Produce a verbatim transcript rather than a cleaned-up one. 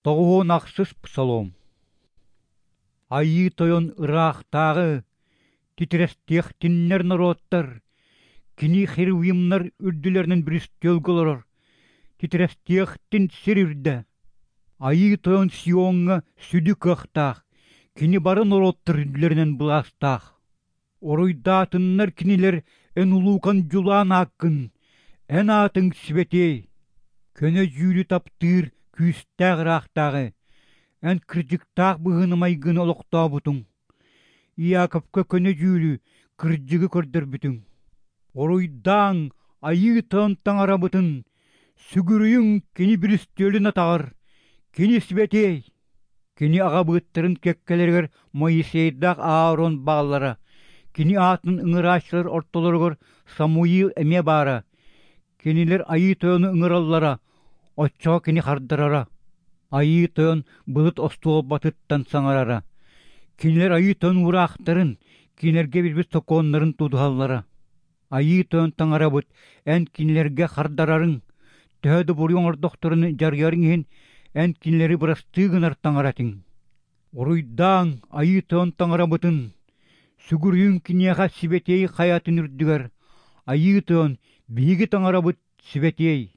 Тоҕуһуон ахсыс псалом. Айыы Тойон ыраахтааҕы, титирэстиэхтиннэр норуоттар, кини херувимнар үрдүлэринэн бүрүстүөлгэ олорор, титирэстиэхтин сир үрдэ. Айыы Тойон Сиоҥҥа сүдү кыахтаах, кини бары норуоттар үрдүлэринэн былаастаах. Уруйдаатыннар кинилэр эн улуукан дьулаан ааккын, эн аатыҥ сибэтиэй. Көнө дьүүлү таптыыр күүстээх ыраахтааҕы, эн кырдьыктаах быһыыны-майгыны олохтообутуҥ. Иаковка көнө дьүүлү, кырдьыгы көрдөрбүтүҥ. Уруйдааҥ Айыы Тойон Таҥарабытын, сүгүрүйүҥ Кини бүрүстүөлүн атаҕар, Кини сибэтиэй. Кини аҕабыыттарын кэккэлэригэр Моисейдаах Аарон бааллара, кини аатын ыҥырааччылар ортолоругар Самуил эмиэ баара. Кинилэр Айыы Тойону ыҥыраллара, оччоҕо кини хардарара. Айыы Тойон былыт остуолбатыттан саҥарара. Кинилэр Айыы Тойон уураахтарын, кинилэргэ билбит сокуоннарын тутуһаллара. Айыы Тойон Таҥарабыт эн кинилэргэ хардарарыҥ, төһө да буруйу оҥордохторуна дьарыйарыҥ иһин эн кинилэри бырастыы гынар Таҥара этиҥ. Уруйдааҥ Айыы Тойон Таҥарабытын, сүгүрүйүҥ киниэхэ сибэтиэй хайатын үрдүгэр, Айыы Тойон биһиги Таҥарабыт сибэтиэй.